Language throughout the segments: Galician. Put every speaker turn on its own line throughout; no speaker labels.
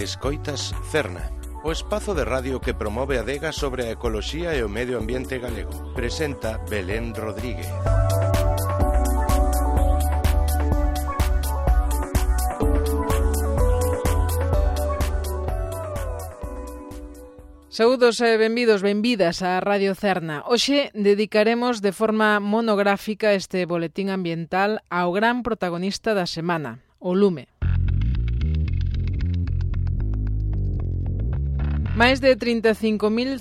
Escoitas Cerna, o espazo de radio que promove a adega sobre a ecoloxía e o medio ambiente galego. Presenta Belén Rodríguez.
Saúdos e benvidas á Radio Cerna. Hoxe dedicaremos de forma monográfica este boletín ambiental ao gran protagonista da semana, o lume. Máis de 35.500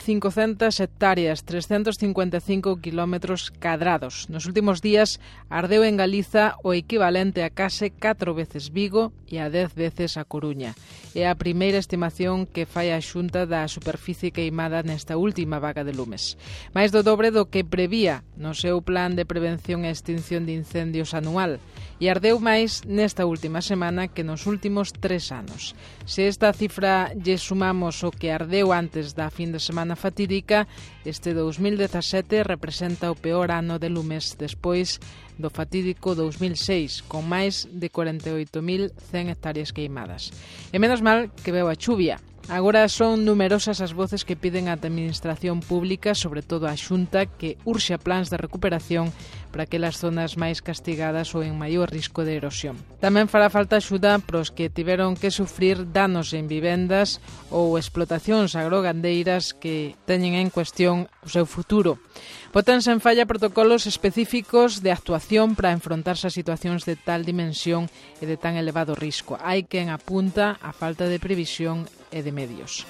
hectáreas, 355 kilómetros cadrados. Nos últimos días ardeu en Galiza o equivalente a case 4 veces Vigo e a 10 veces a Coruña. É a primeira estimación que fai a Xunta da superficie queimada nesta última vaga de lumes. Máis do dobre do que prevía no seu plan de prevención e extinción de incendios anual. E ardeu máis nesta última semana que nos últimos 3 anos. Se esta cifra lle sumamos o que ardeu antes da fin de semana fatídica, este 2017 representa o peor ano de lumes despois do fatídico 2006, con máis de 48.100 hectáreas queimadas. E menos mal que veu a chuvia. Agora son numerosas as voces que piden á administración pública, sobre todo á Xunta, que urxa plans de recuperación para aquelas zonas máis castigadas ou en maior risco de erosión. Tamén fará falta axuda pros que tiveron que sufrir danos en vivendas ou explotacións agrogandeiras que teñen en cuestión o seu futuro. Bótanse en falla protocolos específicos de actuación para enfrontarse a situacións de tal dimensión e de tan elevado risco. Hai quen apunta a falta de previsión e de medios.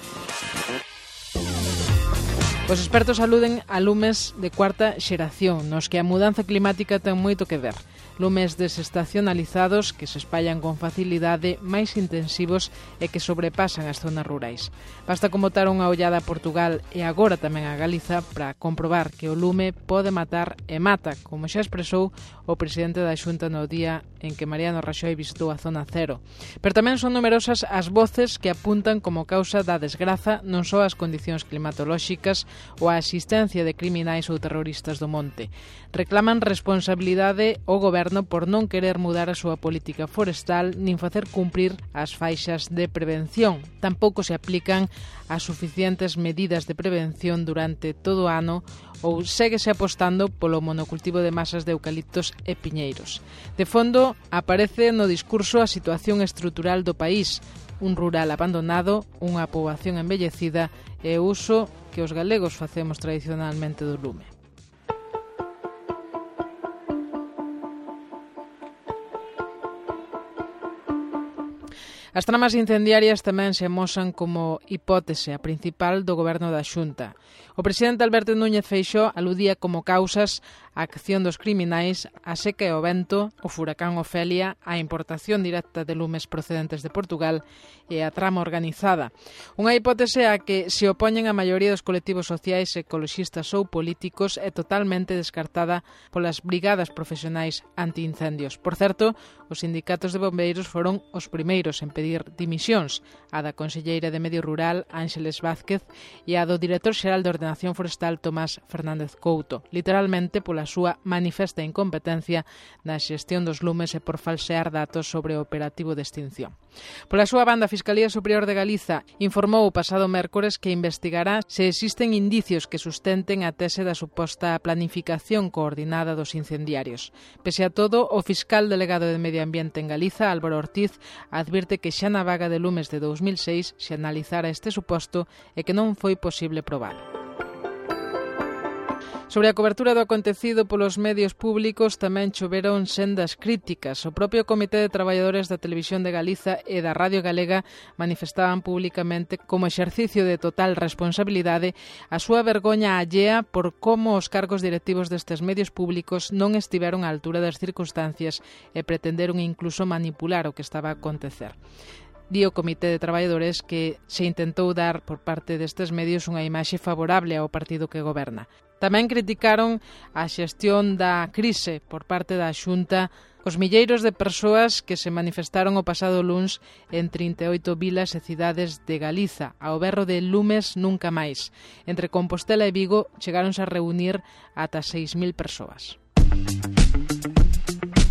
Os expertos aluden a lumes de cuarta xeración, nos que a mudanza climática ten moito que ver. Lumes desestacionalizados que se espallan con facilidade, máis intensivos e que sobrepasan as zonas rurais. Basta con botar unha ollada a Portugal e agora tamén a Galiza para comprobar que o lume pode matar e mata, como xa expresou o presidente da Xunta no día en que Mariano Raxoi visitou a zona cero. Pero tamén son numerosas as voces que apuntan como causa da desgraza non só as condicións climatolóxicas ou a existencia de criminais ou terroristas do monte. Reclaman responsabilidade ao goberno por non querer mudar a súa política forestal nin facer cumprir as faixas de prevención. Tampouco se aplican as suficientes medidas de prevención durante todo o ano ou séguese apostando polo monocultivo de masas de eucaliptos e piñeiros. De fondo, aparece no discurso a situación estrutural do país, un rural abandonado, unha poboación envellecida e o uso que os galegos facemos tradicionalmente do lume. As tramas incendiarias tamén se amosan como hipótese a principal do goberno da Xunta. O presidente Alberto Núñez Feixóo aludía como causas a acción dos criminais, a seca e o vento, o furacán Ofelia, a importación directa de lumes procedentes de Portugal e a trama organizada. Unha hipótese a que se opoñen a maioría dos colectivos sociais, ecoloxistas ou políticos é totalmente descartada polas brigadas profesionais antiincendios. Por certo, os sindicatos de bombeiros foron os primeiros en pedir dimisións, a da conselleira de Medio Rural, Ángeles Vázquez, e a do director xeral de Ordenación Forestal, Tomás Fernández Couto, literalmente pola súa manifesta incompetencia na xestión dos lumes e por falsear datos sobre o operativo de extinción. Pola súa banda, a Fiscalía Superior de Galiza informou o pasado mércores que investigará se existen indicios que sustenten a tese da suposta planificación coordinada dos incendiarios. Pese a todo, o fiscal delegado de Medio Ambiente en Galiza, Álvaro Ortiz, advirte que xa na vaga de lumes de 2006 se analizara este suposto e que non foi posible probar. Sobre a cobertura do acontecido polos medios públicos tamén choveron sendas críticas. O propio Comité de Traballadores da Televisión de Galiza e da Radio Galega manifestaban públicamente como exercicio de total responsabilidade a súa vergoña allea por como os cargos directivos destes medios públicos non estiveron á altura das circunstancias e pretenderon incluso manipular o que estaba a acontecer. Di o Comité de Traballadores que se intentou dar por parte destes medios unha imaxe favorable ao partido que goberna. Tamén criticaron a xestión da crise por parte da Xunta, os milleiros de persoas que se manifestaron o pasado luns en 38 vilas e cidades de Galiza, ao berro de lumes nunca máis. Entre Compostela e Vigo chegáronse a reunir ata 6.000 persoas.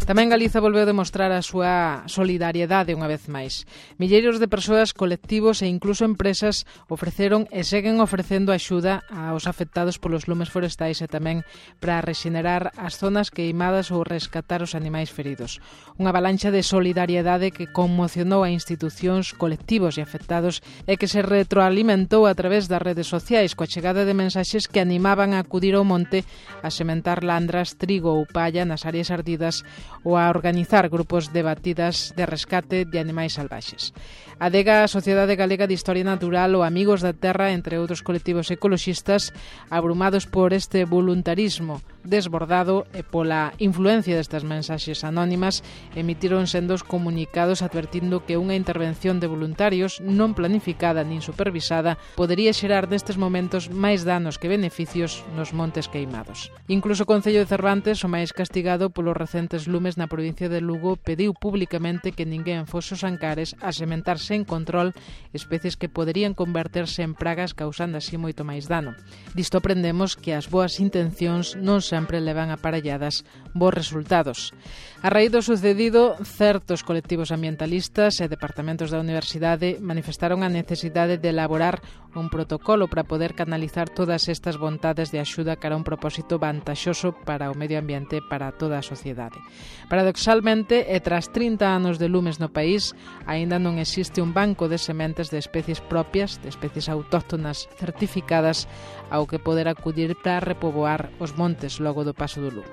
Tamén Galiza volveu demostrar a súa solidariedade unha vez máis. Milleiros de persoas, colectivos e incluso empresas ofreceron e seguen ofrecendo axuda aos afectados polos lumes forestais e tamén para rexenerar as zonas queimadas ou rescatar os animais feridos. Unha avalancha de solidariedade que conmocionou a institucións, colectivos e afectados e que se retroalimentou a través das redes sociais coa chegada de mensaxes que animaban a acudir ao monte a sementar landras, trigo ou palla nas áreas ardidas ou a organizar grupos de batidas de rescate de animais salvaxes. A ADEGA, a Sociedade Galega de Historia Natural, ou Amigos da Terra, entre outros colectivos ecoloxistas, abrumados por este voluntarismo desbordado e pola influencia destas mensaxes anónimas, emitiron sendos comunicados advertindo que unha intervención de voluntarios non planificada nin supervisada podería xerar nestes momentos máis danos que beneficios nos montes queimados. Incluso o Concello de Cervantes, o máis castigado polos recentes lumes na provincia de Lugo, pediu públicamente que ninguén fose aos Ancares a sementar sen control especies que poderían converterse en pragas causando así moito máis dano. Disto aprendemos que as boas intencións non sempre levan aparelladas bons resultados. A raíz do sucedido, certos colectivos ambientalistas e departamentos da universidade manifestaron a necesidade de elaborar un protocolo para poder canalizar todas estas vontades de axuda cara a un propósito vantaxoso para o medio ambiente e para toda a sociedade. Paradoxalmente, e tras 30 anos de lumes no país, aínda non existe un banco de sementes de especies propias, de especies autóctonas certificadas ao que poder acudir para repoboar os montes logo do paso do lume.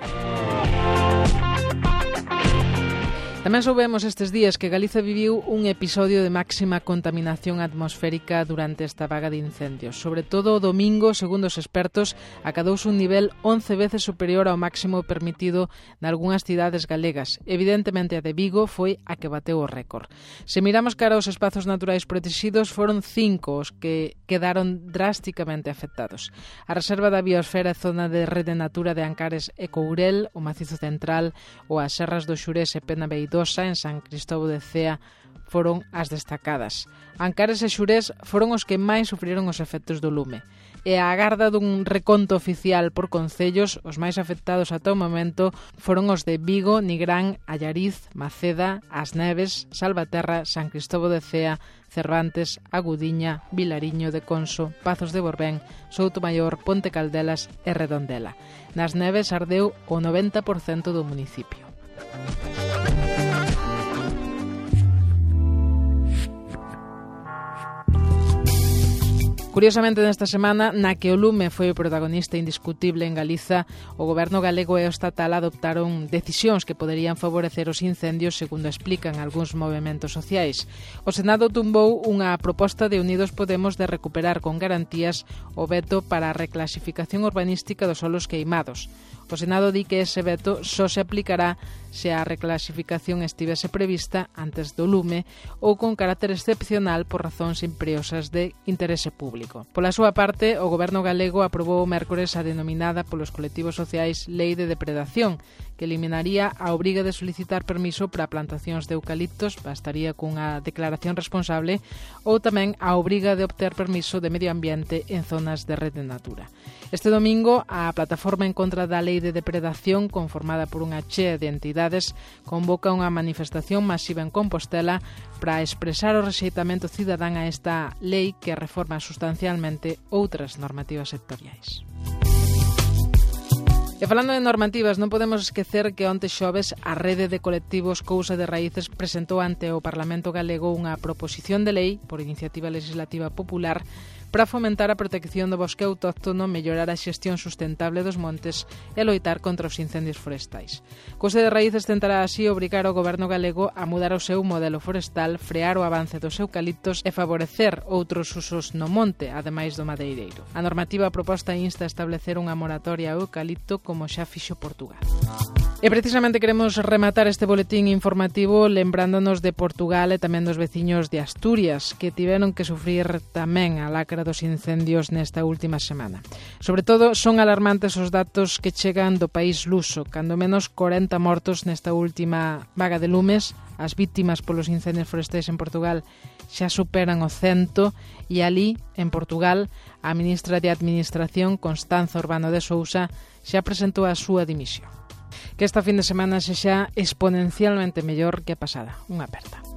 Tamén soubemos estes días que Galiza viviu un episodio de máxima contaminación atmosférica durante esta vaga de incendios. Sobre todo o domingo, segundo os expertos, acadouse un nivel 11 veces superior ao máximo permitido nalgúnas cidades galegas. Evidentemente a de Vigo foi a que bateu o récord. Se miramos cara aos espazos naturais protegidos, foron 5 os que quedaron drásticamente afectados. A Reserva da Biosfera e Zona de Rede Natura de Ancares e Courel, o Macizo Central ou as Serras do Xurés e Penabeidosa en San Cristóbal de Cea foron as destacadas. Ancares e Xurés foron os que máis sufriron os efectos do lume. E a agarda dun reconto oficial por concellos, os máis afectados ata o momento foron os de Vigo, Nigrán, Allariz, Maceda, As Neves, Salvaterra, San Cristóbal de Cea, Cervantes, Agudiña, Vilariño de Conso, Pazos de Borbén, Soutomaior, Ponte Caldelas e Redondela. Nas Neves ardeu o 90% do municipio. Curiosamente, nesta semana, na que o lume foi o protagonista indiscutible en Galiza, o goberno galego e o estatal adoptaron decisións que poderían favorecer os incendios, segundo explican algúns movementos sociais. O Senado tumbou unha proposta de Unidos Podemos de recuperar con garantías o veto para a reclasificación urbanística dos solos queimados. O Senado di que ese veto só se aplicará se a reclasificación estivese prevista antes do lume ou con carácter excepcional por razóns imperiosas de interese público. Pola súa parte, o goberno galego aprobou o mércores a denominada polos colectivos sociais Lei de Depredación, que eliminaría a obriga de solicitar permiso para plantacións de eucaliptos, bastaría cunha declaración responsable, ou tamén a obriga de obter permiso de medio ambiente en zonas de rede natura. Este domingo, a plataforma en contra da Lei de Depredación, conformada por unha chea de entidades, convoca unha manifestación masiva en Compostela para expresar o rexeitamento cidadán a esta lei que reforma sustancialmente outras normativas sectoriais. E falando de normativas, non podemos esquecer que onte xoves a rede de colectivos Cousa de Raíces presentou ante o Parlamento galego unha proposición de lei por iniciativa legislativa popular para fomentar a protección do bosque autóctono, mellorar a xestión sustentable dos montes e loitar contra os incendios forestais. Cousa de Raíces tentará así obrigar o goberno galego a mudar o seu modelo forestal, frear o avance dos eucaliptos e favorecer outros usos no monte, ademais do madeireiro. A normativa proposta insta a establecer unha moratoria ao eucalipto como xa fixo Portugal. E precisamente queremos rematar este boletín informativo lembrándonos de Portugal e tamén dos veciños de Asturias, que tiveron que sufrir tamén a lacra dos incendios nesta última semana. Sobre todo, son alarmantes os datos que chegan do país luso, cando menos 40 mortos nesta última vaga de lumes. As vítimas polos incendios forestais en Portugal xa superan o 100 e ali, en Portugal, a ministra de Administración, Constanza Urbano de Sousa, xa presentou a súa dimisión. Que esta fin de semana sexa exponencialmente mellor que a pasada. Unha aperta.